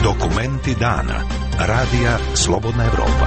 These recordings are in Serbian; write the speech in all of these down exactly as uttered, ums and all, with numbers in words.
Dokumenti dana. Radija Slobodna Evropa.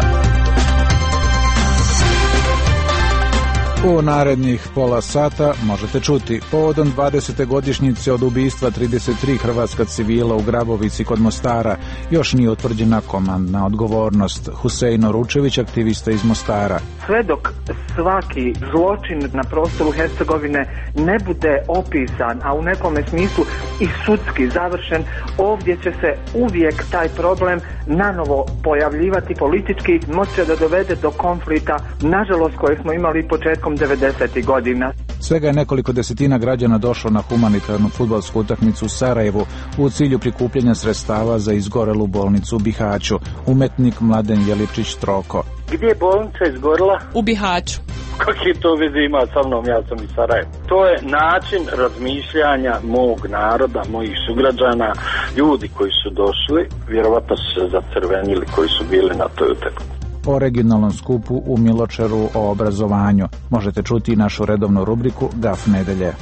U narednih pola sata možete čuti povodom dvadesete godišnjice od ubistva trideset tri hrvatska civila u Grabovici kod Mostara još nije utvrđena komandna odgovornost. Husein Oručević, aktivista iz Mostara. Sve dok svaki zločin na prostoru Hercegovine ne bude opisan, a u nekome smislu i sudski završen, ovdje će se uvijek taj problem nanovo pojavljivati politički, moći da dovede do konflikta, nažalost, koje smo imali početkom devedesetih godina. Svega je nekoliko desetina građana došlo na humanitarnu fudbalsku utakmicu u Sarajevu u cilju prikupljanja sredstava za izgorelu bolnicu u Bihaću. Umetnik Mladen Jeličić Troko. Gdje je bolnica izgorela? U Bihaću. Kakve to veze ima sa mnom, ja sam iz Sarajeva. To je način razmišljanja mog naroda, mojih sugrađana, ljudi koji su došli, vjerovatno su se zacrvenili koji su bili na toj utakmici. O regionalnom skupu u Miločeru o obrazovanju možete čuti i našu redovnu rubriku Gaf nedelje.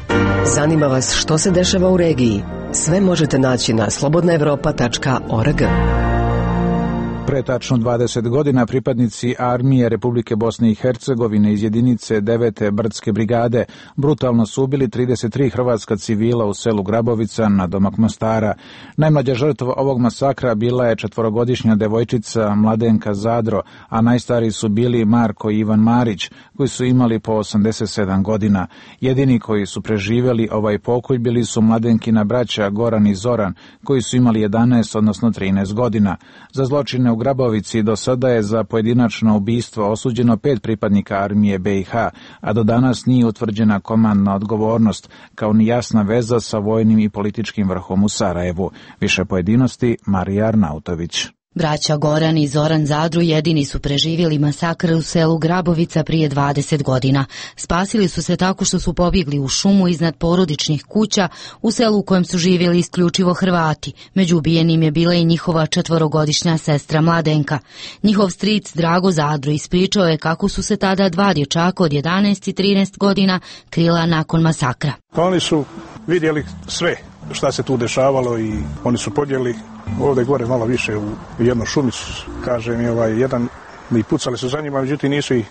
Zanima vas što se dešava u regiji? Sve možete naći na slobodna evropa tačka org. Pre tačno dvadeset godina pripadnici armije Republike Bosne i Hercegovine iz jedinice devete brdske brigade brutalno su ubili trideset tri hrvatska civila u selu Grabovica na domak Mostara. Najmlađa žrtva ovog masakra bila je četvorogodišnja devojčica Mladenka Zadro, a najstariji su bili Marko i Ivan Marić, koji su imali po osamdeset sedam godina. Jedini koji su preživjeli ovaj pokolj bili su Mladenkina braća Goran i Zoran, koji su imali jedanaest odnosno trinaest godina. Za zločine u Grabovici do sada je za pojedinačno ubistvo osuđeno pet pripadnika armije be i ha, a do danas nije utvrđena komandna odgovornost, kao ni jasna veza sa vojnim i političkim vrhom u Sarajevu. Više pojedinosti Marija Arnautović. Braća Goran i Zoran Zadru jedini su preživjeli masakr u selu Grabovica prije dvadeset godina. Spasili su se tako što su pobjegli u šumu iznad porodičnih kuća u selu u kojem su živjeli isključivo Hrvati. Među ubijenim je bila i njihova četvorogodišnja sestra Mladenka. Njihov stric Drago Zadru ispričao je kako su se tada dva dječaka od jedanaest i trinaest godina krila nakon masakra. Oni su vidjeli sve šta se tu dešavalo i oni su podjeli ovdje gore malo više u jednu šumicu, kaže mi ovaj jedan, i pucali su za njima, međutim nisu i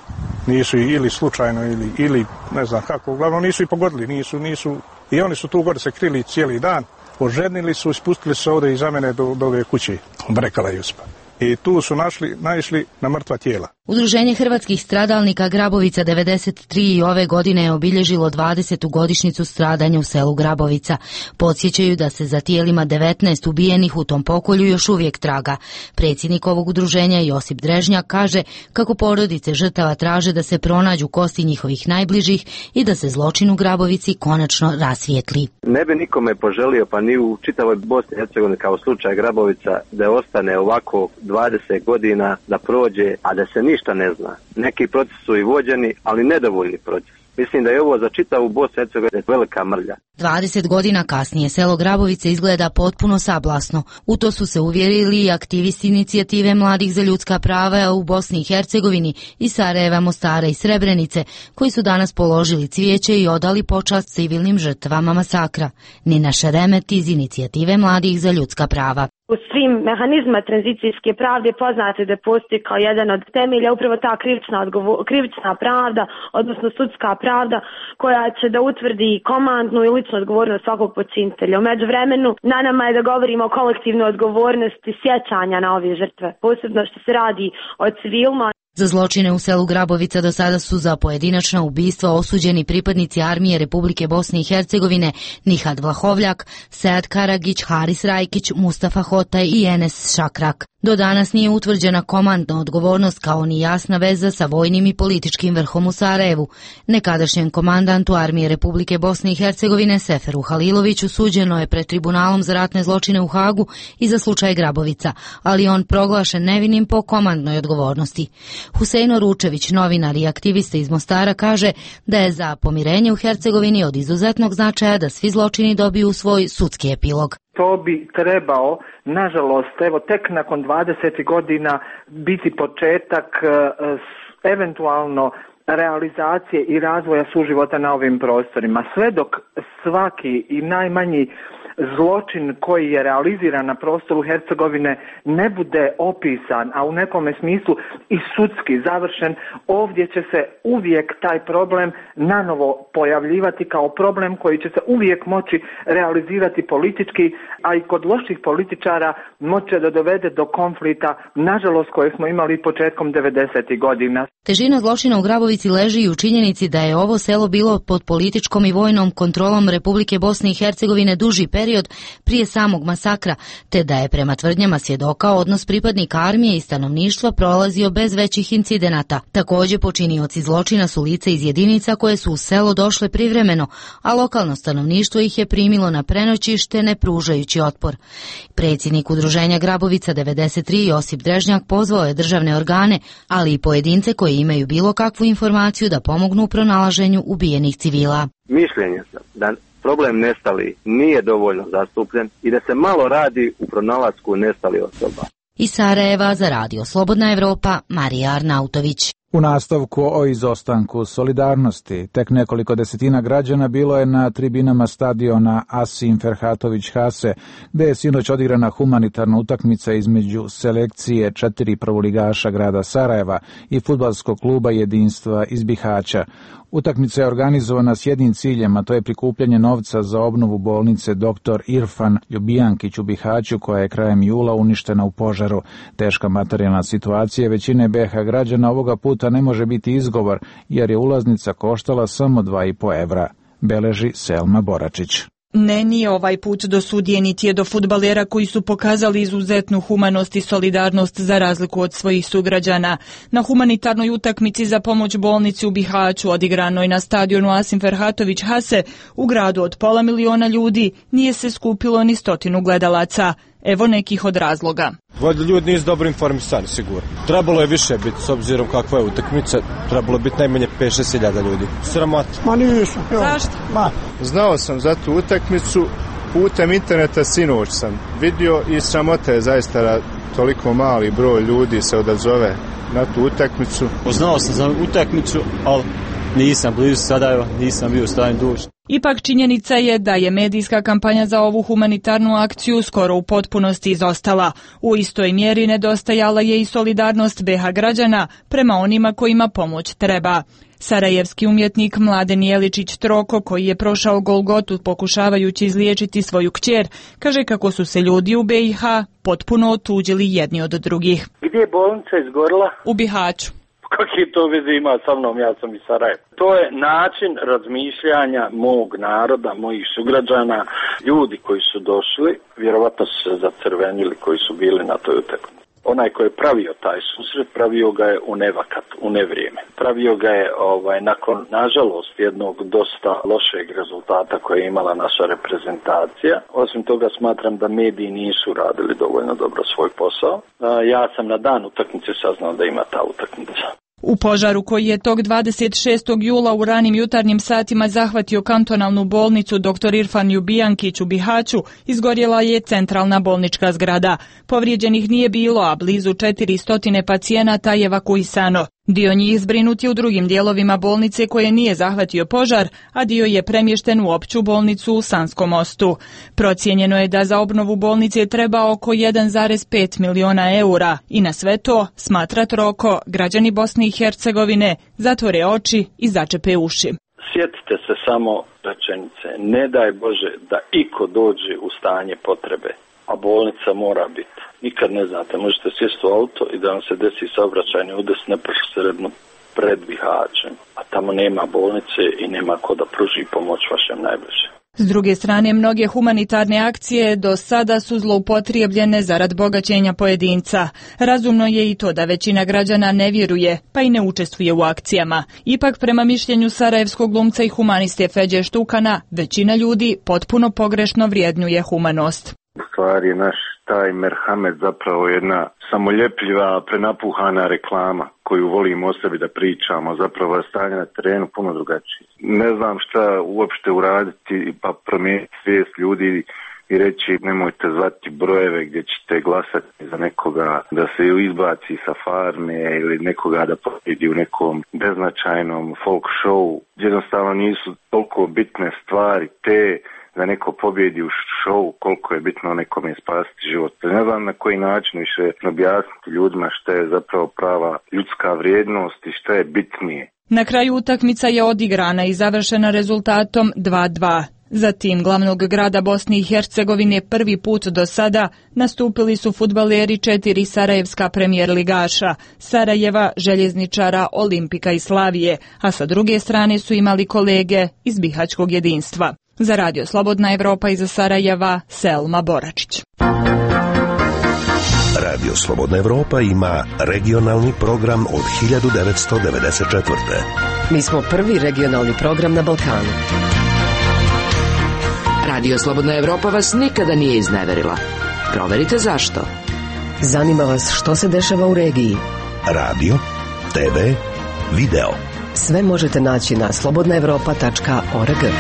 nisu i ili slučajno ili ili ne znam kako, uglavnom nisu i pogodili, nisu nisu i oni su tu gore se krili cijeli dan, oženili su, ispustili se ovdje iza mene do, do ove kuće Brekala Juspa. I tu su našli, naišli na mrtva tijela. Udruženje hrvatskih stradalnika Grabovica devedeset tri i ove godine je obilježilo dvadesetu godišnjicu stradanja u selu Grabovica. Podsjećaju da se za tijelima devetnaest ubijenih u tom pokolju još uvijek traga. Predsjednik ovog udruženja Josip Drežnjak kaže kako porodice žrtava traže da se pronađu kosti njihovih najbližih i da se zločin u Grabovici konačno rasvijetli. Ne bi nikome poželio, pa ni u čitavoj Bosni i Hercegovini kao slučaj Grabovica, da ostane ovako dvadeset godina, da prođe, a da se ništa ne zna. Neki procesi su i vođeni, ali nedovoljni proces. Mislim da je ovo za čitavu Bosnu i Hercegovinu velika mrlja. dvadeset godina kasnije selo Grabovice izgleda potpuno sablasno. U to su se uvjerili i aktivisti inicijative Mladih za ljudska prava u Bosni i Hercegovini iz Sarajeva, Mostara i Srebrenice, koji su danas položili cvijeće i odali počast civilnim žrtvama masakra. Nina Šeremet iz inicijative Mladih za ljudska prava. U svim mehanizma tranzicijske pravde poznate da postoji kao jedan od temelja upravo ta krivična, odgovor, krivična pravda, odnosno sudska pravda, koja će da utvrdi komandnu i ličnu odgovornost svakog počinitelja. U međuvremenu na nama je da govorimo o kolektivnoj odgovornosti sjećanja na ove žrtve, posebno što se radi o civilima. Za zločine u selu Grabovica do sada su za pojedinačna ubistva osuđeni pripadnici armije Republike Bosne i Hercegovine Nihad Vlahovljak, Sead Karagić, Haris Rajkić, Mustafa Hotaj i Enes Šakrak. Do danas nije utvrđena komandna odgovornost kao ni jasna veza sa vojnim i političkim vrhom u Sarajevu. Nekadašnjem komandantu armije Republike Bosne i Hercegovine Seferu Haliloviću suđeno je pred tribunalom za ratne zločine u Hagu i za slučaj Grabovica, ali on proglašen nevinim po komandnoj odgovornosti. Husein Oručević, novinar i aktivista iz Mostara, kaže da je za pomirenje u Hercegovini od izuzetnog značaja da svi zločini dobiju svoj sudski epilog. To bi trebao, nažalost, evo tek nakon dvadeset godina biti početak eventualno realizacije i razvoja suživota na ovim prostorima. Sve dok svaki i najmanji zločin koji je realiziran na prostoru Hercegovine ne bude opisan, a u nekome smislu i sudski završen, ovdje će se uvijek taj problem nanovo pojavljivati kao problem koji će se uvijek moći realizirati politički, a i kod loših političara moće da dovede do konflikta, nažalost, koje smo imali početkom devedesetih godina. Težina zločina u Grabovici leži i u činjenici da je ovo selo bilo pod političkom i vojnom kontrolom Republike Bosne i Hercegovine duži period prije samog masakra, te da je prema tvrdnjama svjedoka odnos pripadnika armije i stanovništva prolazio bez većih incidenata. Također počinioci zločina su lica iz jedinica koje su u selo došle privremeno, a lokalno stanovništvo ih je primilo na prenoćište ne pružajući otpor. Predsjednik udruženja Grabovica devedeset tri Josip Drežnjak pozvao je državne organe, ali i pojedince koji imaju bilo kakvu informaciju da pomognu u pronalaženju ubijenih civila. Mišljenje sam da problem nestali nije dovoljno zastupljen i da se malo radi u pronalasku nestalih osoba. Iz Sarajeva za Radio Slobodna Evropa, Marija Arnautović. U nastavku o izostanku solidarnosti, tek nekoliko desetina građana bilo je na tribinama stadiona Asim Ferhatović Hase, gde je sinoć odigrana humanitarna utakmica između selekcije četiri prvoligaša grada Sarajeva i fudbalskog kluba Jedinstva iz Bihaća. Utakmica je organizovana s jednim ciljem, a to je prikupljanje novca za obnovu bolnice doktor Irfan Ljubijankić u Bihaću, koja je krajem jula uništena u požaru. Teška materijalna situacija većine B iH građana ovoga puta ne može biti izgovor, jer je ulaznica koštala samo dva i po evra, beleži Selma Boračić. Ne, nije ovaj put do sudije, niti je do fudbalera koji su pokazali izuzetnu humanost i solidarnost za razliku od svojih sugrađana. Na humanitarnoj utakmici za pomoć bolnici u Bihaću, odigranoj na stadionu Asim Ferhatović Hase, u gradu od pola miliona ljudi, nije se skupilo ni stotinu gledalaca. Evo nekih od razloga. Valjda ljudi nisu dobro informisani, sigurno. Trebalo je više biti, s obzirom kakva je utakmica, trebalo je biti najmanje pet šest hiljada ljudi. Sramota. Ma nisam. Zašto? Ma. Znao sam za tu utakmicu, putem interneta sinoć sam vidio i sramota je zaista da toliko mali broj ljudi se odazove na tu utakmicu. Znao sam za utakmicu, ali nisam blizu Sarajeva, nisam bio u stanju doći. Ipak činjenica je da je medijska kampanja za ovu humanitarnu akciju skoro u potpunosti izostala. U istoj mjeri nedostajala je i solidarnost B iH građana prema onima kojima pomoć treba. Sarajevski umjetnik Mladen Jeličić Troko, koji je prošao Golgotu pokušavajući izliječiti svoju kćer, kaže kako su se ljudi u B iH potpuno otuđili jedni od drugih. Gdje je bolnica izgorila? U Bihaću. Kakve to veze ima sa mnom, ja sam iz Sarajeva. To je način razmišljanja mog naroda, mojih sugrađana, ljudi koji su došli, vjerovatno su se zacrvenili koji su bili na toj utakmici. Onaj koji je pravio taj susret, pravio ga je u nevakat, u nevrijeme. Pravio ga je ovaj, nakon, nažalost, jednog dosta lošeg rezultata koje je imala naša reprezentacija. Osim toga smatram da mediji nisu radili dovoljno dobro svoj posao. Ja sam na dan utakmice saznao da ima ta utakmica. U požaru koji je tog dvadeset šestog jula u ranim jutarnjim satima zahvatio kantonalnu bolnicu doktor Irfan Ljubijankić u Bihaću, izgorjela je centralna bolnička zgrada. Povrijeđenih nije bilo, a blizu četiristo pacijenata je evakuisano. Dio njih zbrinut je u drugim dijelovima bolnice koje nije zahvatio požar, a dio je premješten u opću bolnicu u Sanskom Mostu. Procijenjeno je da za obnovu bolnice treba oko jedan zarez pet miliona eura i na sve to, smatra Troko, građani Bosne i Hercegovine zatvore oči i začepe uši. Sjetite se samo rečenice, ne daj Bože da iko dođe u stanje potrebe, a bolnica mora biti. Nikad ne znate, možete sjesti u auto i da vam se desi saobraćajni udes neposredno pred Bihaćem, a tamo nema bolnice i nema ko da pruži pomoć vašem najbližem. S druge strane, mnoge humanitarne akcije do sada su zloupotrijebljene zarad bogaćenja pojedinca. Razumno je i to da većina građana ne vjeruje, pa i ne učestvuje u akcijama. Ipak, prema mišljenju sarajevskog glumca i humaniste Feđe Štukana, većina ljudi potpuno pogrešno vrijednjuje humanost. U stvari, naš taj merhamet zapravo jedna samoljepljiva, prenapuhana reklama koju volimo o sebi da pričamo, zapravo je stanje na terenu puno drugačije. Ne znam šta uopšte uraditi pa promijeniti svijest ljudi i reći nemojte zvati brojeve gdje ćete glasati za nekoga da se izbaci sa farme ili nekoga da pobjedi u nekom beznačajnom folk show. Jednostavno nisu toliko bitne stvari te da neko pobjedi u show, koliko je bitno nekome spasiti život. Ne znam na koji način više objasniti ljudima šta je zapravo prava ljudska vrijednost i šta je bitnije. Na kraju utakmica je odigrana i završena rezultatom dva dva. Za tim glavnog grada Bosne i Hercegovine prvi put do sada nastupili su fudbaleri četiri sarajevska premijer ligaša, Sarajeva, Željezničara, Olimpika i Slavije, a sa druge strane su imali kolege iz Bihaćkog jedinstva. Za Radio Slobodna Evropa iz Sarajeva, Selma Boračić. Radio Slobodna Evropa ima regionalni program od hiljadu devetsto devedeset četvrte. Mi smo prvi regionalni program na Balkanu. Radio Slobodna Evropa vas nikada nije izneverila. Proverite zašto. Zanima vas što se dešava u regiji. Radio, te ve, video. Sve možete naći na slobodna evropa tačka org.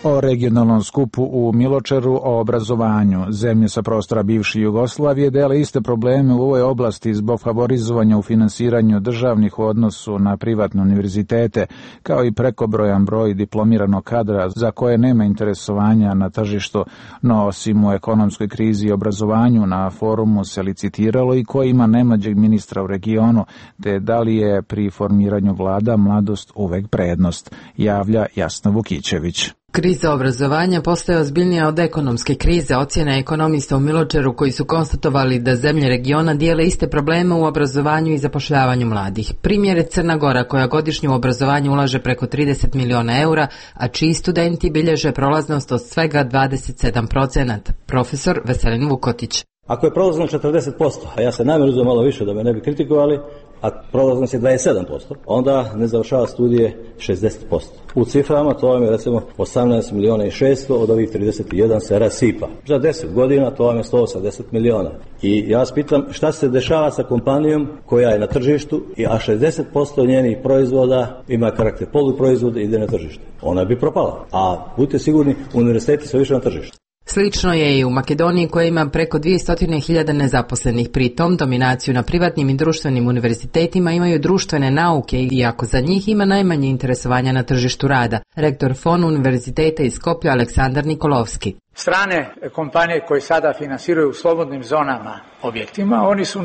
O regionalnom skupu u Miločeru, o obrazovanju. Zemlje sa prostora bivše Jugoslavije dele iste probleme u ovoj oblasti zbog favorizovanja u finansiranju državnih u odnosu na privatne univerzitete, kao i prekobrojan broj diplomiranog kadra za koje nema interesovanja na tržištu, no osim u ekonomskoj krizi i obrazovanju na forumu se licitiralo i ko ima najmlađeg ministra u regionu, te da li je pri formiranju vlada mladost uvek prednost, javlja Jasna Vukićević. Kriza obrazovanja postaje ozbiljnija od ekonomske krize, ocjena ekonomista u Miločeru koji su konstatovali da zemlje regiona dijele iste probleme u obrazovanju i zapošljavanju mladih. Primjer je Crna Gora koja godišnje u obrazovanje ulaže preko trideset miliona eura, a čiji studenti bilježe prolaznost od svega dvadeset sedam procenata. Profesor Veselin Vukotić. Ako je prolaznost četrdeset posto, a ja se namjerno uzeo malo više da me ne bi kritikovali, a prolaznost je dvadeset sedam posto, onda ne završava studije šezdeset posto. U ciframa to vam je recimo osamnaest miliona i šesto, od ovih trideset jedan se rasipa. Za deset godina to vam je sto osamdeset miliona. I ja vas pitam šta se dešava sa kompanijom koja je na tržištu, a šezdeset posto njenih proizvoda ima karakter poluproizvoda i ide na tržište. Ona bi propala, a budite sigurni, univerziteti su više na tržištu. Slično je i u Makedoniji koja ima preko dvjesto hiljada nezaposlenih. Pritom dominaciju na privatnim i društvenim univerzitetima imaju društvene nauke, iako za njih ima najmanje interesovanja na tržištu rada. Rektor Fon univerziteta iz Skoplja Aleksandar Nikolovski. Strane kompanije koje sada finansiraju u slobodnim zonama objektima, oni su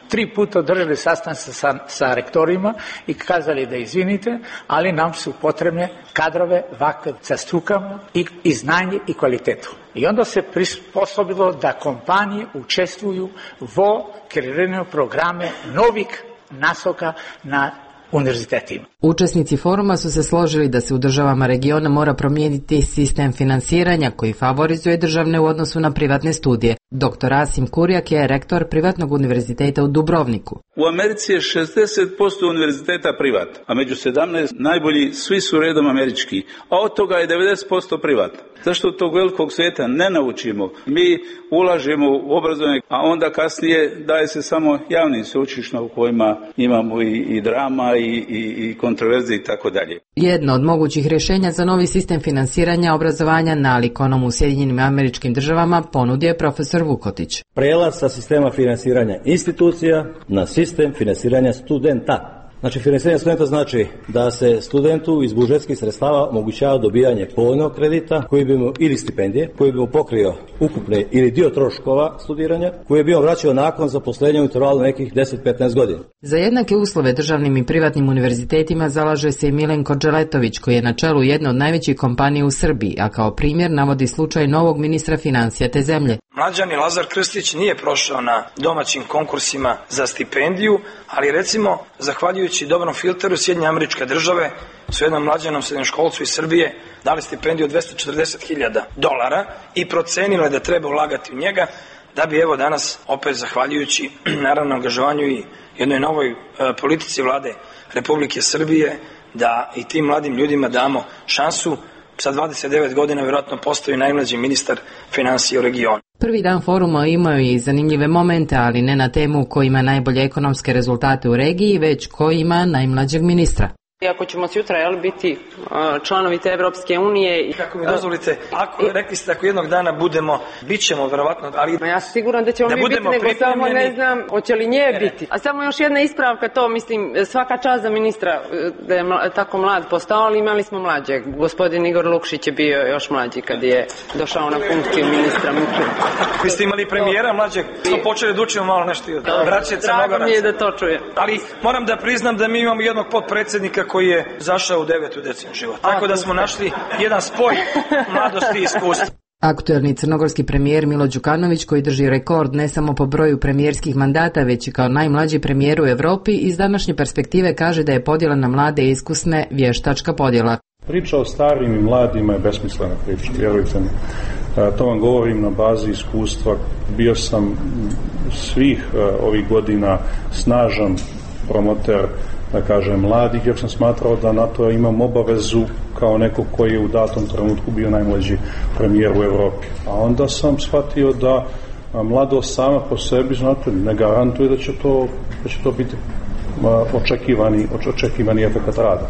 tri puta održali sastanke sa, sa rektorima i kazali da izvinite, ali nam su potrebne kadrove vakve sa strukama i, i znanje i kvalitetu. I onda se prisposobilo da kompanije učestvuju vo kreiranju programe novih nasoka na univerzitetima. Učesnici foruma su se složili da se u državama regiona mora promijeniti sistem finansiranja koji favorizuje državne u odnosu na privatne studije. Doktor Asim Kurjak je rektor privatnog univerziteta u Dubrovniku. U Americi je šezdeset posto univerziteta privat, a među sedamnaest najbolji svi su redom američki, a od toga je devedeset posto privat. Zašto tog velikog svijeta ne naučimo? Mi ulažemo u obrazovanje, a onda kasnije daje se samo javnim sveučilištima u kojima imamo i, i drama i, i, i kontroverze i tako dalje. Jedno od mogućih rješenja za novi sistem finansiranja obrazovanja nalik onom u Sjedinjenim Američkim Državama ponudio je profesor Vukotić. Prelaz sa sistema finansiranja institucija na sistem finansiranja studenta. Znači, finansiranje studenta znači da se studentu iz budžetskih sredstava omogućava dobijanje povoljnog kredita koji bi mu, ili stipendije, koji bi mu pokrio ukupne ili dio troškova studiranja, koji bi on vraćao nakon zaposlenja u intervalu nekih deset do petnaest godina. Za jednake uslove državnim i privatnim univerzitetima zalaže se i Milenko Đeletović, koji je na čelu jedne od najvećih kompanija u Srbiji, a kao primjer navodi slučaj novog ministra financija te zemlje. Mlađani Lazar Krstić nije prošao na domaćim konkursima za stipendiju, ali recimo, zahvaljujući dobrom filteru, Sjedinjene Američke Države su jednom mlađanom srednjoškolcu iz Srbije dali stipendiju od dvjesto četrdeset hiljada dolara i procenile da treba ulagati u njega, da bi evo danas, opet zahvaljujući naravno angažovanju i jednoj novoj e, politici vlade Republike Srbije, da i tim mladim ljudima damo šansu. Sa dvadeset devet godina vjerojatno postoji najmlađi ministar financija u regionu. Prvi dan foruma imao je i zanimljive momente, ali ne na temu ko ima najbolje ekonomske rezultate u regiji, već ko ima najmlađeg ministra. Iako ćemo sutra jel, biti članovi te Evropske unije. Kako mi dozvolite, ako, rekli ste ako jednog dana budemo, bit ćemo verovatno, ali... Ja sam siguran da ćemo da mi biti, nego samo ne znam, hoće li nje biti. A samo još jedna ispravka, to mislim, svaka čast za ministra da je mla, tako mlad postao, ali imali smo mlađe. Gospodin Igor Lukšić je bio još mlađi kad je došao na funkciju ministra. Vi ste imali premijera mlađeg, smo počeli da učimo malo nešto od braće Crnogoraca. Drago mi je da to čujem. Ali moram da priznam da mi imamo jednog potpredsjednika koji je zašao u devetu decenu života. Tako da smo našli jedan spoj mladosti i iskustva. Aktuelni crnogorski premijer Milo Đukanović, koji drži rekord ne samo po broju premijerskih mandata, već i kao najmlađi premijer u Evropi, iz današnje perspektive kaže da je podjela na mlade i iskusne vještačka podjela. Priča o starim i mladima je besmislena priča, vjerujte mi. To vam govorim na bazi iskustva. Bio sam svih ovih godina snažan promoter, da kažem, mladih, jer sam smatrao da na to imam obavezu kao neko koji je u datom trenutku bio najmlađi premijer u Evropi. A onda sam shvatio da mladost sama po sebi, znate, ne garantuje da će to, da će to biti očekivani, očekivani efekat rada.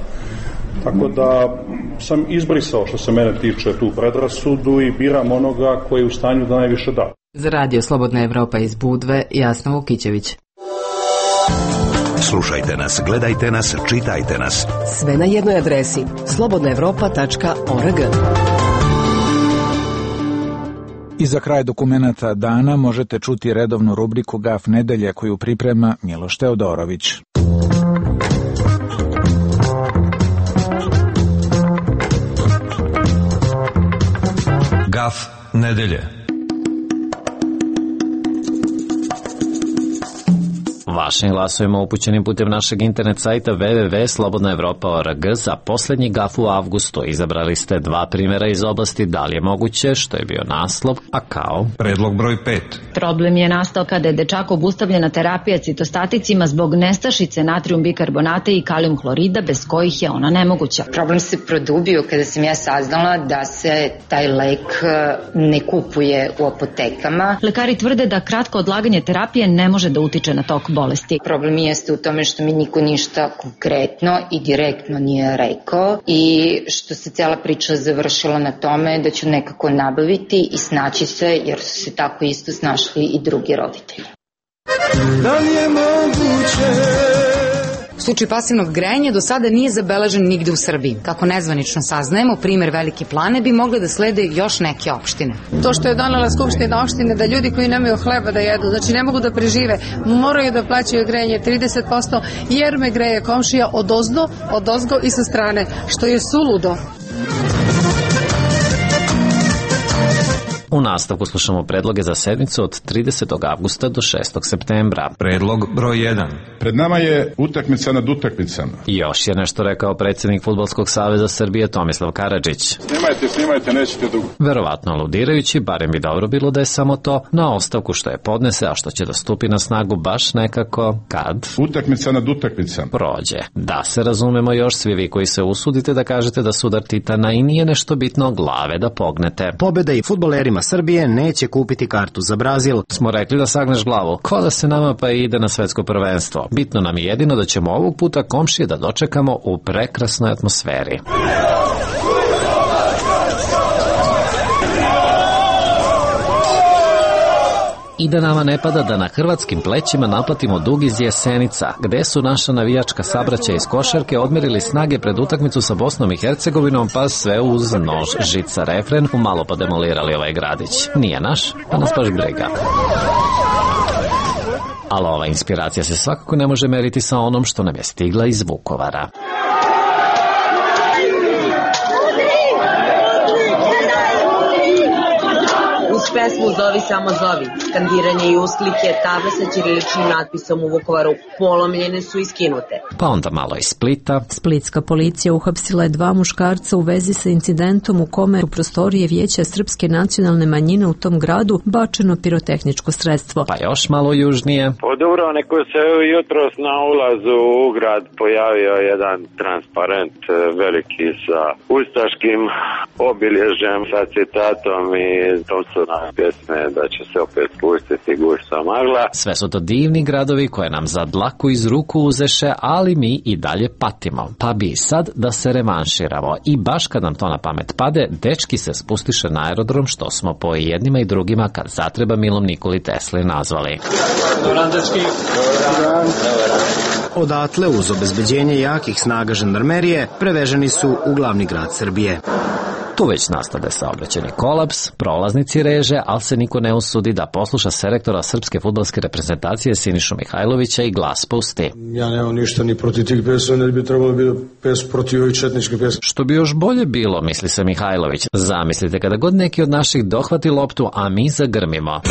Tako da sam izbrisao, što se mene tiče, tu predrasudu i biram onoga koji je u stanju da najviše da. Za radio Slobodna Evropa iz Budve, Jasna Vukićević. Slušajte nas, gledajte nas, čitajte nas. Sve na jednoj adresi slobodna evropa tačka org. I za kraj dokumenata dana možete čuti redovnu rubriku Gaf nedelje koju priprema Miloš Teodorović. Gaf nedelje. Vašim glasovima upućenim putem našeg internet sajta w w w tačka slobodna evropa tačka org za posljednji gaf u avgustu izabrali ste dva primjera iz oblasti da li je moguće, što je bio naslov, a kao predlog broj pet. Problem je nastao kada je dečak obustavljena terapija citostaticima zbog nestašice natrijum bikarbonata i kalijum hlorida, bez kojih je ona nemoguća. Problem se produbio kada sam ja saznala da se taj lek ne kupuje u apotekama. Lekari tvrde da kratko odlaganje terapije ne može da utiče na tok bolesti. Problem jeste u tome što mi niko ništa konkretno i direktno nije rekao i što se cela priča završila na tome da ću nekako nabaviti i snaći se, jer su se tako isto snašli i drugi roditelji. Da li je moguće? Slučaj pasivnog grejanja do sada nije zabeležen nigde u Srbiji. Kako nezvanično saznajemo, primer Velike Plane bi mogle da slede još neke opštine. To što je donela Skupština opštine da ljudi koji nemaju hleba da jedu, znači ne mogu da prežive, moraju da plaćaju grejanje trideset posto jer me greje komšija odozdo, odozgo i sa strane, što je suludo. U nastavku slušamo predloge za sedmicu od tridesetog avgusta do šestog septembra. Predlog broj jedan. Pred nama je utakmica nad utakmicama. Još je nešto rekao predsjednik Fudbalskog saveza Srbije Tomislav Karadžić. Snimajte, snimajte, nećete dugo. Verovatno aludirajući, barem bi dobro bilo da je samo to, na ostavku što je podnese, a što će da stupi na snagu baš nekako kad utakmica nad utakmicama prođe. Da se razumemo još, svi vi koji se usudite da kažete da sudar Titana i nije nešto bitno, glave da pognete. Pobjeda i fudbalerima Srbije neće kupiti kartu za Brazil. Smo rekli da sagneš glavu. Ko da se nama pa ide na svetsko prvenstvo. Bitno nam je jedino da ćemo ovog puta komšije da dočekamo u prekrasnoj atmosferi. I da nama ne pada da na hrvatskim plećima naplatimo dug iz Jesenica, gde su naša navijačka sabraća iz košarke odmerili snage pred utakmicu sa Bosnom i Hercegovinom, pa sve uz nož, žica, refren, umalo pa demolirali ovaj gradić. Nije naš, pa nas baš briga. Ali ova inspiracija se svakako ne može meriti sa onom što nam je stigla iz Vukovara. Uz pesmu Zovi samo zovi, skandiranje i usklike, table sa ćiriličnim natpisom u Vukovaru polomljene su iskinute. Pa onda malo iz Splita. Splitska policija uhapsila je dva muškarca u vezi sa incidentom u kome u prostorije Vijeća Srpske nacionalne manjine u tom gradu bačeno pirotehničko sredstvo. Pa još malo južnije. Po Dubrovniku se jutros na ulazu u grad pojavio jedan transparent veliki sa ustaškim obilježjem, sa citatom i Thompsona besne da će se opet spustiti gušta magla. Sve su to divni gradovi koje nam za dlaku iz ruku uzeše, ali mi i dalje patimo. Pa bi sad da se revanširamo i baš kad nam to na pamet pade, dečki se spustiše na aerodrom, što smo po jednima i drugima kad zatreba Milom Nikoli Tesli nazvali. Dobar dečki. Dobar. Odatle, uz obezbeđenje jakih snaga žandarmerije, preveženi su u glavni grad Srbije. Tu već nastade saobraćajni kolaps, prolaznici reže, ali se niko ne usudi da posluša selektora srpske fudbalske reprezentacije Sinišu Mihajlovića i glas pusti. Ja nemam ništa ni protiv tih pesma, ne bi trebalo biti pes protiv ovih četničke pesme. Što bi još bolje bilo, misli se Mihajlović. Zamislite kada god neki od naših dohvati loptu, a mi zagrmimo.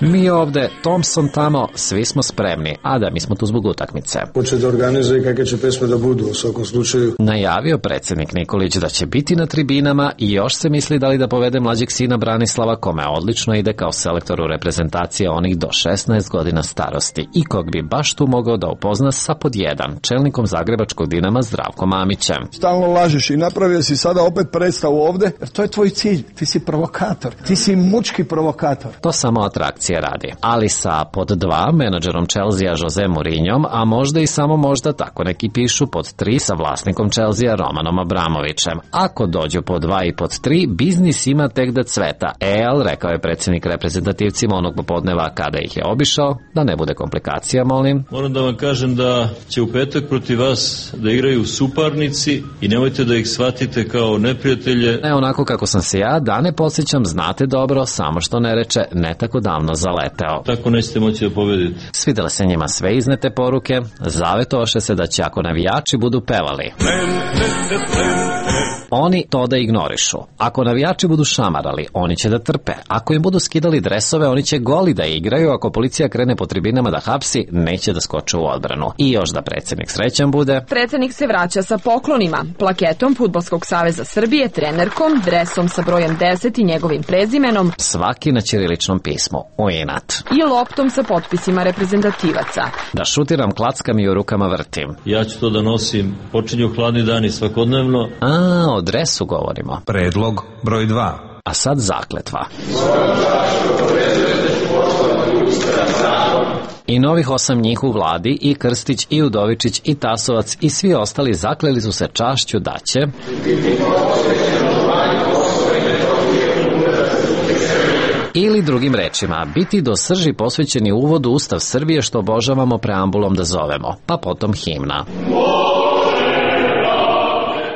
Mi ovde, Thompson tamo, svi smo spremni, a da mi smo tu zbog utakmice. Hoće da organizuje kakve će pesme da budu u svakom slučaju. Najavio predsjednik Nikolić da će biti na tribinama i još se misli da li da povede mlađeg sina Branislava, kome odlično ide kao selektor u reprezentacije onih do šesnaest godina starosti i kog bi baš tu mogao da upozna sa pod jedan, čelnikom zagrebačkog Dinama Zdravkom Mamićem. Stalno lažeš i napravio si sada opet predstavu ovde, jer to je tvoj cilj, ti si provokator, ti si mučki provokator. To samo atrakcija radi, ali sa pod dva menadžerom Chelsea Jose Mourinhom, a možda i samo možda, tako neki pišu, pod tri sa vlasnikom Chelsea Romanom Abramovićem. Ako dođu pod dva i pod tri, biznis ima tek da cveta. El, rekao je predsjednik reprezentativcima onog popodneva kada ih je obišao, da ne bude komplikacija, molim. Moram da vam kažem da će u petak protiv vas da igraju suparnici i nemojte da ih shvatite kao neprijatelje. Ne onako kako sam se ja, da ne podsjećam, znate dobro, samo što ne reče, ne tako davno zaleteo. Tako nećete moći da pobedite. Svidele se njima sve iznete poruke, zavetoše se da će ako navijači budu pevali, oni to da ignorišu. Ako navijači budu šamarali, oni će da trpe. Ako im budu skidali dresove, oni će goli da igraju. Ako policija krene po tribinama da hapsi, neće da skoče u odbranu. I još da predsjednik srećan bude. Predsjednik se vraća sa poklonima, plaketom Fudbalskog saveza Srbije, trenerkom, dresom sa brojem deset i njegovim prezimenom, svaki na ćiriličnom pismu, u inat, i loptom sa potpisima reprezentativaca. Da šutiram, klackam i u rukama vrtim. Ja ću to da nosim, počinju hladni dani svakodnevno. A, o dresu govorimo. Predlog broj dva. A sad zakletva. I novih osam njih u vladi, i Krstić, i Udovičić, i Tasovac, i svi ostali zakleli su se čašću da će ili drugim rečima, biti do srži posvećeni uvodu Ustav Srbije što obožavamo preambulom da zovemo, pa potom himna.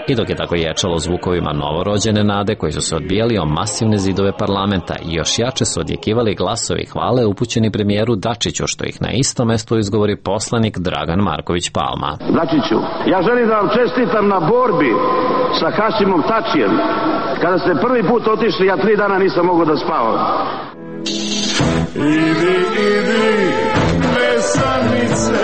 I dok je tako ječalo zvukovima novorođene nade koji su se odbijali o masivne zidove parlamenta i još jače su odjekivali glasovi hvale upućeni premijeru Dačiću, što ih na istom mestu izgovori poslanik Dragan Marković Palma. Dačiću, ja želim da vam čestitam na borbi sa Hašimom Tačijem. Kada ste prvi put otišli, ja tri dana nisam mogao da spavam. Idi, idi, mesanice.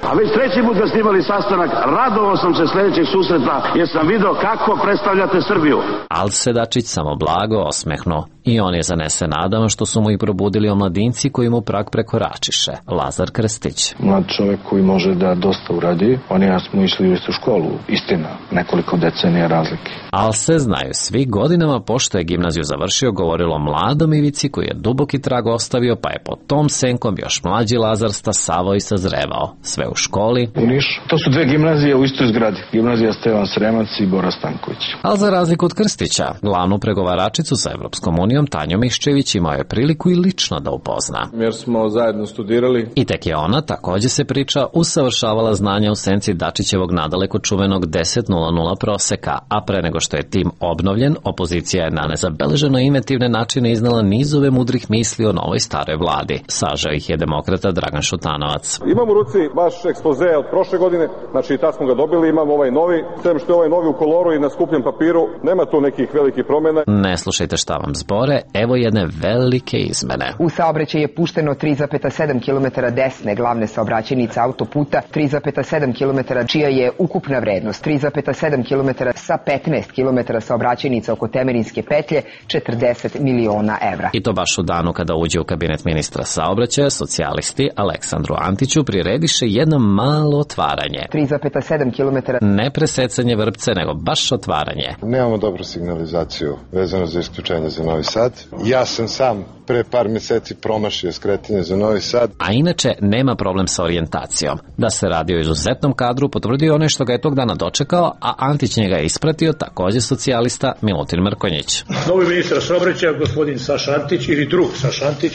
A već treći put kad ste imali sastanak, radovao sam se sljedećeg susreta jer sam vidio kako predstavljate Srbiju. Al se Dačić samo blago osmehnuo i on je zanese nadama što su mu i probudili omladinci koji mu prag prekoračiše. Lazar Krstić. Mlad čovjek koji može da dosta uradi, oni ja smo išli u istu školu, istina, nekoliko decenija razlike. Al se znaju svi, godinama pošto je gimnaziju završio govorilo mladom Ivici koji je duboki trag ostavio, pa je pod tom senkom još mlađi Lazar stasavao i sazrevao. Sve u školi. U Nišu. To su dve gimnazije u istoj zgradi. Gimnazija Stevan Sremac i Bora Stanković. Ali za razliku od Krstića, glavnu pregovaračicu sa Evropskom unijom Tanju Miščević imao je priliku i lično da upozna. Jer smo zajedno studirali. I tek je ona, također se priča, usavršavala znanja u senci Dačićevog nadaleko čuvenog deset nula nula proseka, a pre nego što je tim obnovljen, opozicija je na nezabeleženo inventivne načine iznala nizove mudrih misli o novoj staroj vladi. Sažao ih je demokrata Dragan Šutanovac. Imam u ruci baš ekspoze od prošle godine, znači tad smo ga dobili, imamo ovaj novi, sem što je ovaj novi u koloru i na skupljem papiru, nema tu nekih velikih promjena. Ne slušajte šta vam zbore, evo jedne velike izmene. U saobraćaj je pušteno tri zarez sedam kilometara desne glavne saobraćajnice autoputa, tri zarez sedam kilometara čija je ukupna vrednost, tri zarez sedam kilometara sa petnaest kilometara saobraćajnica oko Temerinske petlje, četrdeset miliona evra. I to baš u danu kada uđe u kabinet ministra saobraćaja, socijalisti Aleksandru Antiću prirediše jedno malo otvaranje. tri zarez sedam kilometara. Ne presecanje vrpce, nego baš otvaranje. Nemamo dobru signalizaciju vezano za isključenje za Novi Sad. Ja sam sam pre par meseci promašio skretanje za Novi Sad. A inače nema problem sa orijentacijom. Da se radi o izuzetnom kadru potvrdio onaj što ga je tog dana dočekao, a Antić njega je ispratio takođe socijalista Milutin Mrkonjić. Novi ministar saobraćaja, gospodin Saša Antić ili drug Saša Antić,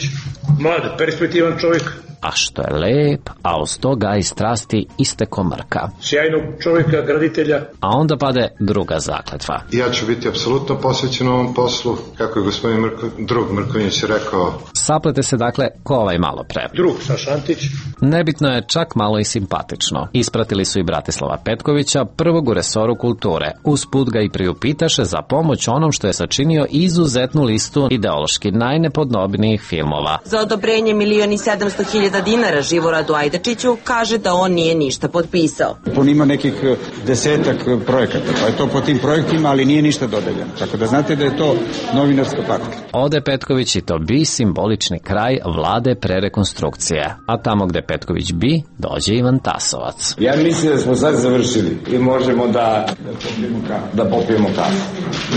mlad, perspektivan čovjek. A što je lep, a uz to gaji strasti isteko Mrka. Sjajnog čovjeka, graditelja. A onda pade druga zakletva. Ja ću biti apsolutno posvećen ovom poslu, kako je gospodin Mrko, drug Mrkonjić rekao. Saplete se dakle ko ovaj malo pre. Drug Saša Antić. Nebitno je čak malo i simpatično. Ispratili su i Bratislava Petkovića, prvog u resoru kulture. Usput ga i priupitaše za pomoć onom što je sačinio izuzetnu listu ideološki najnepodobnijih filmova. Za odobrenje milion i sedamsto hiljada dinara Živoradu Ajdačiću kaže da on nije ništa potpisao. On ima nekih desetak projekata, pa je to po tim projektima, ali nije ništa dodeljeno. Tako da znate da je to novinarska patka. Ode Petković i to bi simbolični kraj vlade pre rekonstrukcije. A tamo gde Petković bi, dođe Ivan Tasovac. Ja mislim da smo sad završili i možemo da popijemo kafu. Da popijemo kafu,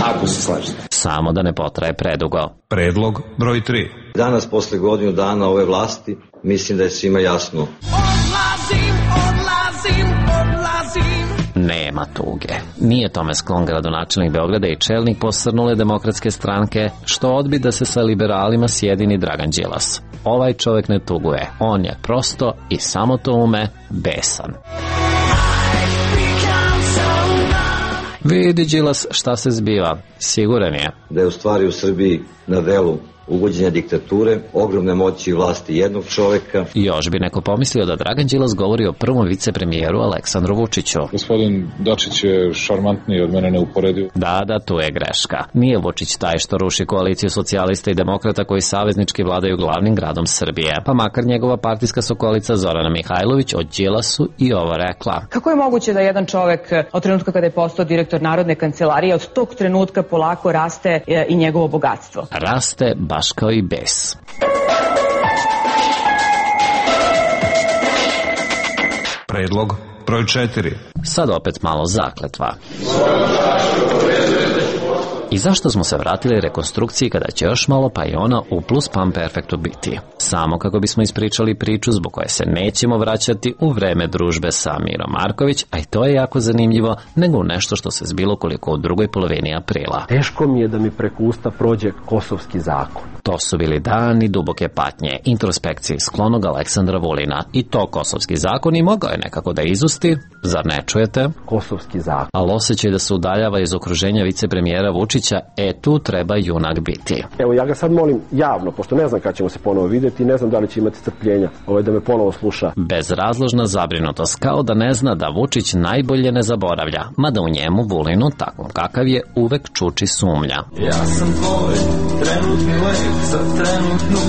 ako se slažete. Samo da ne potraje predugo. Predlog broj tri. Danas, posle godinu dana ove vlasti, mislim da je svima jasno. Odlazim, odlazim, odlazim. Nema tuge. Nije tome sklon gradonačelnik Beograda i čelnik posrnule demokratske stranke, što odbi da se sa liberalima sjedini Dragan Đilas. Ovaj čovjek ne tuguje. On je prosto i samo to ume besan. Vidi Đilas šta se zbiva. Siguran je da je u stvari u Srbiji na delu uvođenja diktature, ogromne moći i vlasti jednog čoveka. Još bi neko pomislio da Dragan Đilas govori o prvom vicepremijeru Aleksandru Vučiću. Gospodin Dačić je šarmantniji od mene neuporediv. Da, da, tu je greška. Nije Vučić taj što ruši koaliciju socijalista i demokrata koji saveznički vladaju glavnim gradom Srbije. Pa makar njegova partijska sokolica Zorana Mihajlović o Đilasu i ovo rekla. Kako je moguće da jedan čovek od trenutka kada je postao direktor Narodne kancelarije, od tog trenutka polako raste i njegovo bogatstvo? Raste baš kao i bes. Predlog broj četiri. Sad opet malo zakletva. I zašto smo se vratili rekonstrukciji kada će još malo pa i ona u plus pam perfektu biti? Samo kako bismo ispričali priču zbog koje se nećemo vraćati u vreme družbe sa Mirom Marković, a i to je jako zanimljivo, nego u nešto što se zbilo koliko u drugoj polovini aprila. Teško mi je da mi preko usta prođe kosovski zakon. To su bili dani duboke patnje, introspekcije sklonog Aleksandra Vulina. I to kosovski zakon i mogao je nekako da izusti, zar ne čujete? Kosovski zakon. Ali osjećaj da se udaljava iz okruženja vicepremijera Vučića, e tu treba junak biti. Evo ja ga sad molim javno, pošto ne znam kada ćemo se ponovo vidjeti, ne znam da li će imati strpljenja ovaj da me ponovo sluša. Bezrazložna zabrinutost, kao da ne zna da Vučić najbolje ne zaboravlja, mada u njemu Vulinu, takvom kakav je, uvek čuči sumnja. Ja sam tvoj trenutni lek za trenutnu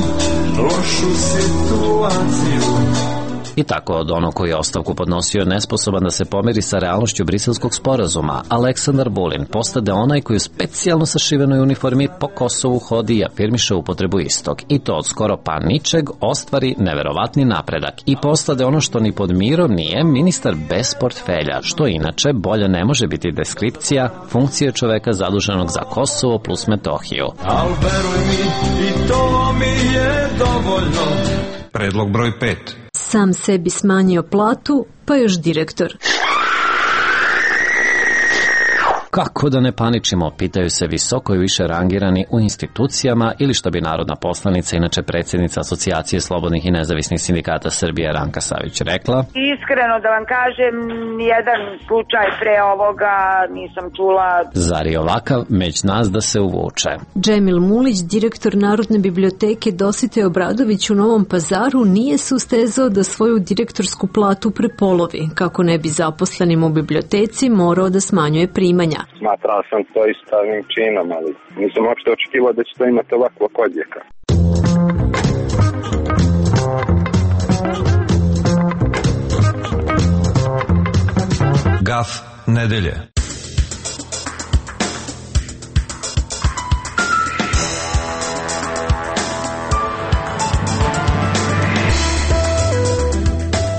lošu situaciju. I tako od onog koji je ostavku podnosio nesposoban da se pomeri sa realnošću briselskog sporazuma, Aleksandar Vulin postade onaj koji u specijalno sašivenoj uniformi po Kosovu hodi i afirmiše upotrebu istog. I to od skoro pa ničeg ostvari neverovatni napredak i postade ono što ni pod mirom nije ministar bez portfelja, što inače bolje ne može biti deskripcija funkcije čoveka zaduženog za Kosovo plus Metohiju. Al veruj mi, i to mi je dovoljno. Predlog broj pet. Sam sebi smanjio platu, pa još direktor. Kako da ne paničimo, pitaju se visoko i više rangirani u institucijama ili što bi narodna poslanica, inače predsjednica Asocijacije slobodnih i nezavisnih sindikata Srbije Ranka Savić rekla. Iskreno da vam kažem, nijedan slučaj pre ovoga nisam čula. Zar je ovakav među nas da se uvuče? Džemil Mulić, direktor Narodne biblioteke Dositej Obradović u Novom Pazaru, nije se ustezao da svoju direktorsku platu prepolovi, kako ne bi zaposlenim u biblioteci morao da smanjuje primanja. Smatrao sam to istavnim činom, ali nisam uopšte očekivao da će to imati ovakvog odjeka. Gaf nedelje.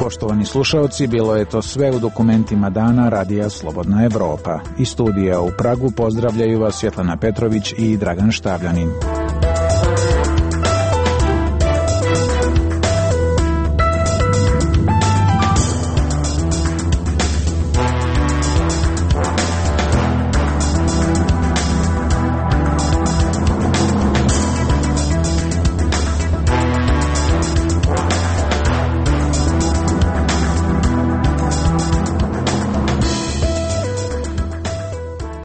Poštovani slušaoci, bilo je to sve u dokumentima dana Radija Slobodna Evropa. Iz studija u Pragu pozdravljaju vas Svetlana Petrović i Dragan Štavljanin.